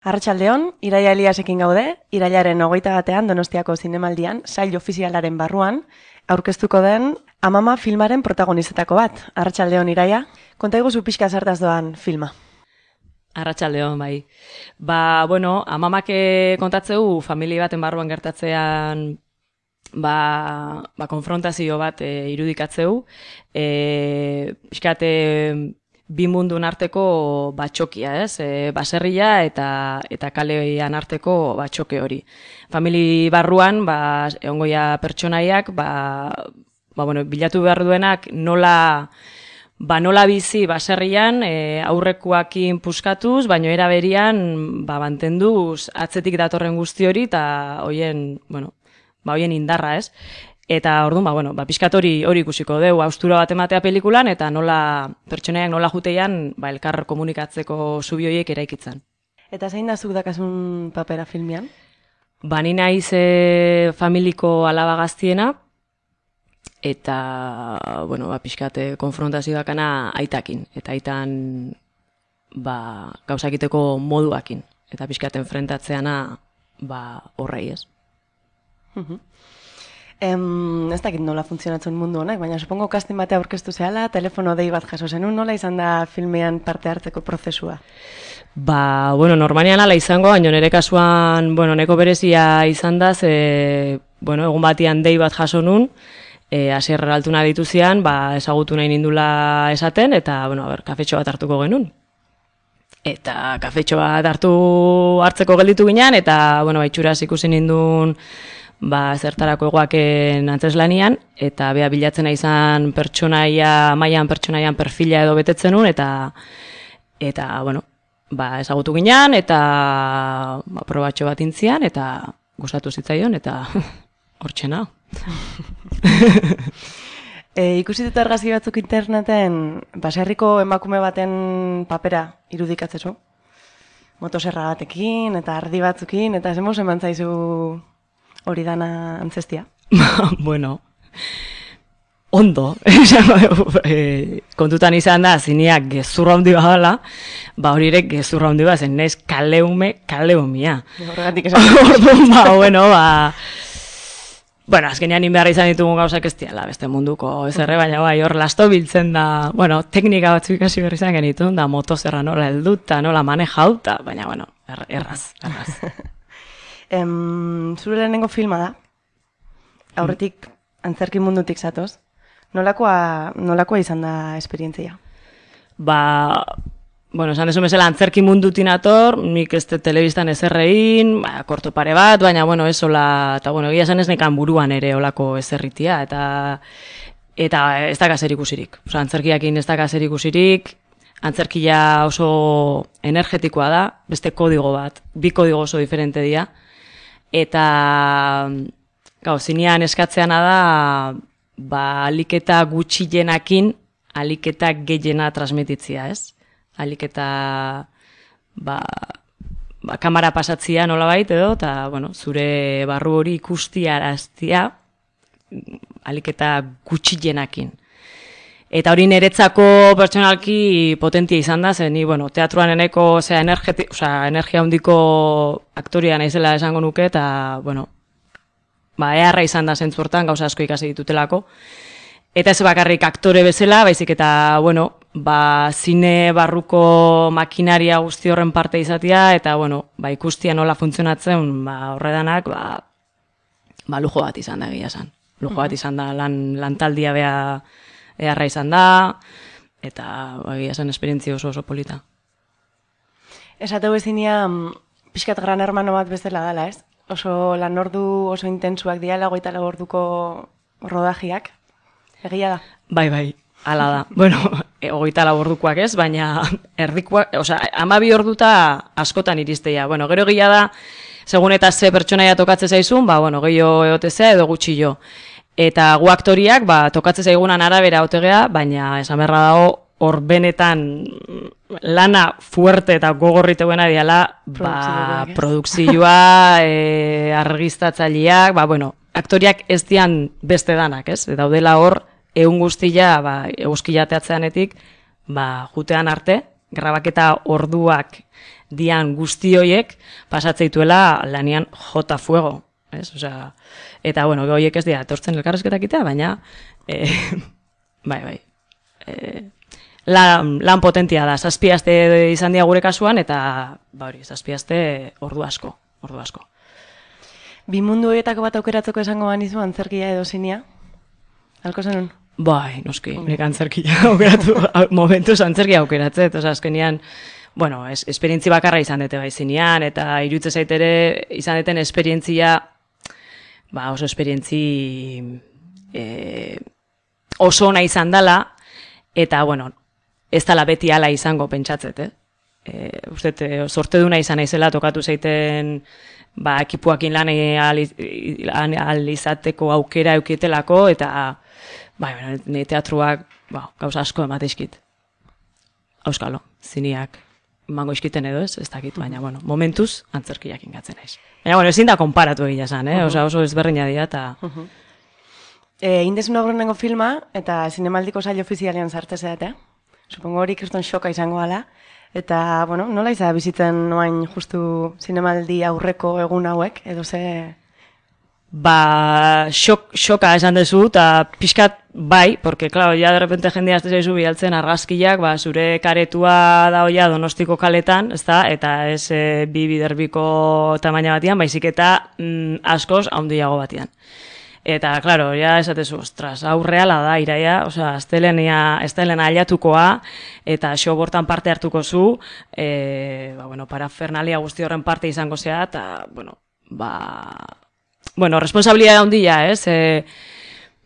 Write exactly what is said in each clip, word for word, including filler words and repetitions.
Arratsaldeon, Iraia Eliasekin gaude, irailaren hogeita batean Donostiako zinemaldian, sail ofizialaren barruan, aurkeztuko den Amama filmaren protagonistetako bat. Arratsaldeon, Iraia, konta iguzu pixka zertaz doan filma. Arratsaldeon, bai. Ba, bueno, Amamak kontatzeu familia baten barruan gertatzean ba, ba konfrontazio bat e, irudikatzeu, e, pixkate bi mundun arteko batxokia, ez? E, baserria eta eta kalean arteko batxoke hori. Famili barruan, ba, egongoia pertsonaiak, ba, ba, bueno, bilatu behar duenak nola, ba, nola bizi baserrian e, aurrekoakin puskatuz, baino era berian ba, mantenduz atzetik datorren guzti hori eta hoien, bueno, ba, hoien indarra, ez? Eta orduan, ba, bueno, ba, pixkat hori hori ikusiko deu, haustura bat ematea pelikulan, eta nola pertsonaiak nola juteian ba, elkar komunikatzeko zubi horiek eraikitzen. Eta zein da zuk dakasun papera filmian? Ba, ni naiz e, familiko alaba gaztiena, eta, bueno, ba, pixkat konfrontazio dakana aitakin, eta aitan ba, gauzakiteko moduakin, eta pixkat enfrentatzeana ba, horrei, ez? Uh-huh. Em, ez dakit nola funtzionatzen mundu honek, baina supongo casting batea aurkeztu zehala, telefono dei bat jaso zenun, nola izan da filmean parte hartzeko prozesua? Ba, bueno, normalian ala izango, baina nire kasuan, bueno, neko berezia izan da, ze, bueno, egun batian dei bat jaso nun, e, asierra altuna dituzian, ba, ezagutu nahi nindula esaten, eta, bueno, a ber, kafetxo bat hartuko genuen. Eta kafetxo bat hartu hartzeko gelditu ginean, eta, bueno, baitxuraz ikusi nindun, ba, zertarako egoaken antzeslanian, eta bea bilatzen izan pertsonaia, mailan pertsonaian perfila edo betetzen nun, eta, eta bueno, ba, ezagutu ginean, eta ba, probatxo bat intzian, eta gustatu zitzaion, eta hortxena. e, ikusi dut argazki batzuk interneten, baserriko emakume baten papera irudikatzezu? Motoserra batekin, eta ardi batzukin, eta zemuz eman zaizu hori dana antzestia? Bueno, ondo. e, kontutan izan da, zineak gezurra handi badala, ba horirek gezurra handi bat, zen nez kaleume, kaleumia. Horregatik esan. Orduan, ba, bueno, ba... Bueno, azkenean inbeharra izan ditugun gauzak ez diala, beste munduko ez erre, baina bai, hor lasto biltzen da, bueno, teknika batzuk ikasi berri izan genitun, da motozerra nola helduta, nola manejauta, baina, bueno, er, erraz, erraz. Em, zure lehenengo filma da, aurretik antzerki mundutik zatoz, nolakoa, nolakoa izan da esperientzia? Ba, bueno, esan desu bezala antzerki mundutin ator, nik ez telebistan ezerrein, ba, korto pare bat, baina, bueno, ez hola, eta, bueno, egia esan ez nekan buruan ere olako ezerritia, eta eta ez da zer ikusirik. Osa, antzerkiakin ez da zer ikusirik, antzerkia oso energetikoa da, beste kodigo bat, bi kodigo oso diferente dira, eta gau, zinean eskatzeana da ba, aliketa gutxienakin aliketa gehiena transmititzia, ez? Aliketa ba, ba, kamera pasatzia nolabait edo, eta bueno, zure barru hori ikustiaraztia aliketa gutxienakin. Eta hori niretzako pertsonalki potentia izan da, zen ni, bueno, teatruan eneko, osea, energeti, osea, energia handiko aktoria naizela esango nuke, eta, bueno, ba, eharra izan da zentzortan, gauza asko ikasi ditutelako. Eta ez bakarrik aktore bezala, baizik eta, bueno, ba, zine barruko makinaria guzti horren parte izatea, eta, bueno, ba, ikustia nola funtzionatzen, ba, horredanak, ba, ba, lujo bat izan da, egia esan. Lujo bat izan da, lan, lantaldia bea, eharra izan da, eta egia zen esperientzia oso oso polita. Esateu ezinia, pixkat gran hermano bat bezala dela, ez? Oso lan ordu oso intentsuak diala, hogeita lau orduko rodajiak, egia da? Bai, bai, hala da. Bueno, hogeita lau ordukoak ez, baina erdikoak, osea, hamabi orduta askotan iristea. Bueno, gero egia da, segun eta ze pertsonaia tokatze zaizun, ba, bueno, gehiago eotezea edo gutxi jo. Eta gu aktoriak, ba, tokatze zaigunan arabera otegea, baina esan beharra dago, hor benetan lana fuerte eta gogorriteguena diala, ba, produkzioa, e, argiztatzaileak, ba, bueno, aktoriak ez dian beste danak, ez? Daudela hor, egun guztia, ba, eguzkilateatzeanetik, ba, jutean arte, grabaketa orduak dian guzti hoiek pasatzeituela lanian jota fuego, ez? Osea, eta bueno, hoiek ez dira etortzen elkarrezketak itea, baina e, bai, bai. E, lan, lan potentia da, zazpiazte izan dira gure kasuan, eta ba hori, zazpiazte ordu asko, ordu asko. Bi mundu horietako bat aukeratzeko esango banizu antzerkia edo zinia? Halko zenun? Bai, noski, nik antzerkia aukeratu, momentuz antzerkia aukeratzet, oza, azkenian, bueno, es, esperientzi bakarra izan dute bai zinean, eta irutze zaitere izan duten esperientzia, ba, oso esperientzi e, oso ona izan dela, eta, bueno, ez dela beti ala izango pentsatzet, eh? E, uste, sorte duna izan naizela tokatu zaiten ba, ekipuakin lan al izateko aukera eukietelako, eta bai, nire teatruak ba, gauza asko emateizkit. Auskalo, ziniak mango iskiten edo ez, ez dakit, baina, bueno, momentuz antzerkiak ingatzen naiz. Baina, bueno, ezin da konparatu egia esan, eh? Osa, oso ezberdina dira, eta... Uh-huh. E, Indezun aurrenengo filma, eta zinemaldiko sail ofizialean sartze zeate. Supongo hori kriston shoka izango gala. Eta, bueno, nola izan bizitzen noain justu zinemaldi aurreko egun hauek, edo ze... Ba, xok, xoka esan dezu, eta pixkat bai, porque, claro, ya de repente jendea azte zaizu bialtzen argazkiak, ba, zure karetua da hoia Donostiko kaletan, ezta, eta ez e, bi biderbiko tamaina batian, baizik eta mm, askoz handiago batian. Eta, claro, ya esatezu, ostras, hau reala da, iraia, osea, estelena aliatukoa, eta xo bortan parte hartuko zu, e, ba, bueno, parafernalia guzti horren parte izango zea, eta, bueno, ba... Bueno, responsabilidad handia, ez? E,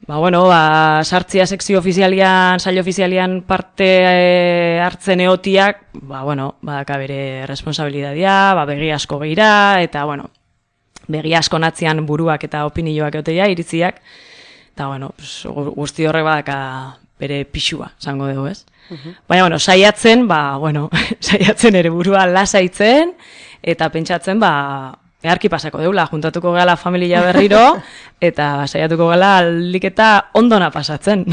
ba, bueno, ba, sartzia sekzio ofizialian, saio ofizialian parte e, hartzen eotiak, ba, bueno, ba, bere responsabilidadia, ba, begi asko behira, eta, bueno, begi asko natzean buruak eta opinioak eoteia, iritziak, eta, bueno, pues, guzti horrek badaka bere pixua, zango dugu, ez? Uh-huh. Baina, bueno, saiatzen, ba, bueno, saiatzen ere burua lasaitzen, eta pentsatzen, ba, eharki pasako deula, juntatuko gala familia berriro, eta saiatuko gala aldik eta ondona pasatzen.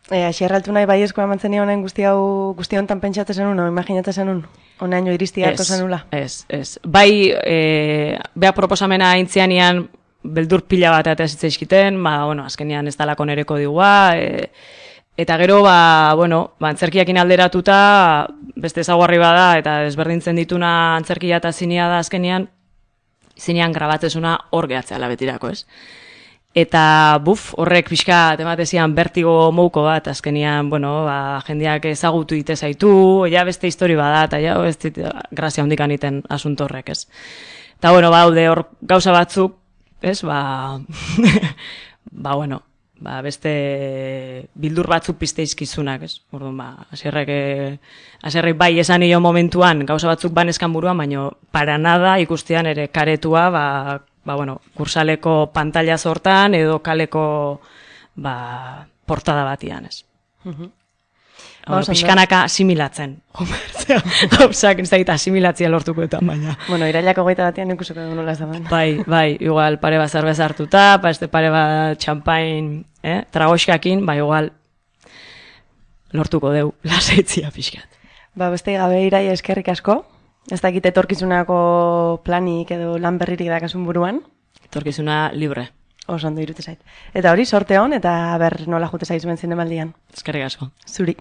E, Aixerraltu nahi bai eskoa mantzen honen guzti hau guzti hontan pentsatzen zenun, o imaginatzen zenun? Honaino iristiako zenula? Ez, ez. Bai, e, beha proposamena aintzianian beldur pila bat eta zitzaizkiten, ba, bueno, azkenian ez dalako nereko digua, e, eta gero, ba, bueno, ba, antzerkiakin alderatuta, beste ezaguarri bada, eta desberdintzen dituna antzerkia eta zinia da azkenian, zinean grabatzezuna hor gehatzea betirako, ez? Eta, buf, horrek pixka tematezian bertigo mouko bat, azkenian, bueno, ba, jendeak ezagutu ite zaitu, ja beste histori bada, eta ja, ez dit, grazia hondikan iten asunto horrek, ez? Eta, bueno, ba, haude hor gauza batzuk, ez, ba, ba, bueno, ba, beste bildur batzuk pizteizkizunak, ez? Orduan, ba, asierrek, asierrek bai esan nio momentuan gauza batzuk banezkan buruan, baino para nada ikustean ere karetua, ba, ba, bueno, kursaleko pantalla sortan edo kaleko, ba, portada batian, ez? Uh-huh. Ba, pixkanaka asimilatzen. Gauzak, ez da gita asimilatzia lortukoetan, baina. Bueno, irailako goita batian ikusiko dugu nola ez da baina. Bai, bai, igual pare bat zerbez hartuta, pa este pare bat txampain, eh, tragoxkakin, bai, igual lortuko dugu lasaitzia pixkat. Ba, beste gabe iraia eskerrik asko. Ez dakit etorkizunako planik edo lan berririk dakasun buruan. Etorkizuna libre. Oso ondo irute zait. Eta hori, sorte hon, eta ber nola jute zaizuen zinemaldian. Eskerrik asko. Zuri.